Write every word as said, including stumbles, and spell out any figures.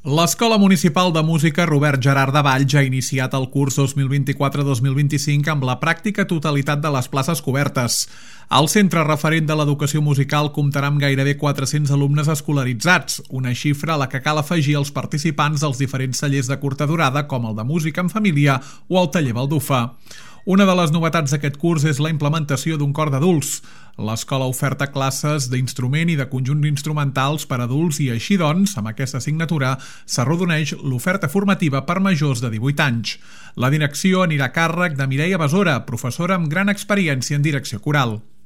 L'Escola Municipal de Música Robert Gerard de Valls ha iniciat el curs dos mil vint-i-quatre dos mil vint-i-cinc amb la pràctica totalitat de les places cobertes. El centre referent de l'educació musical comptarà amb gairebé quatre-cents alumnes escolaritzats, una xifra a la que cal afegir els participants dels diferents tallers de curta durada com el de música en família o el taller Baldufa. Una de les novetats d'aquest curs és la implementació d'un cor d'adults. L'escola oferta classes d'instrument i de conjunts instrumentals per a adults i així doncs, amb aquesta assignatura, s'arrodoneix l'oferta formativa per majors de divuit anys. La direcció anirà a càrrec de Mireia Besora, professora amb gran experiència en direcció coral.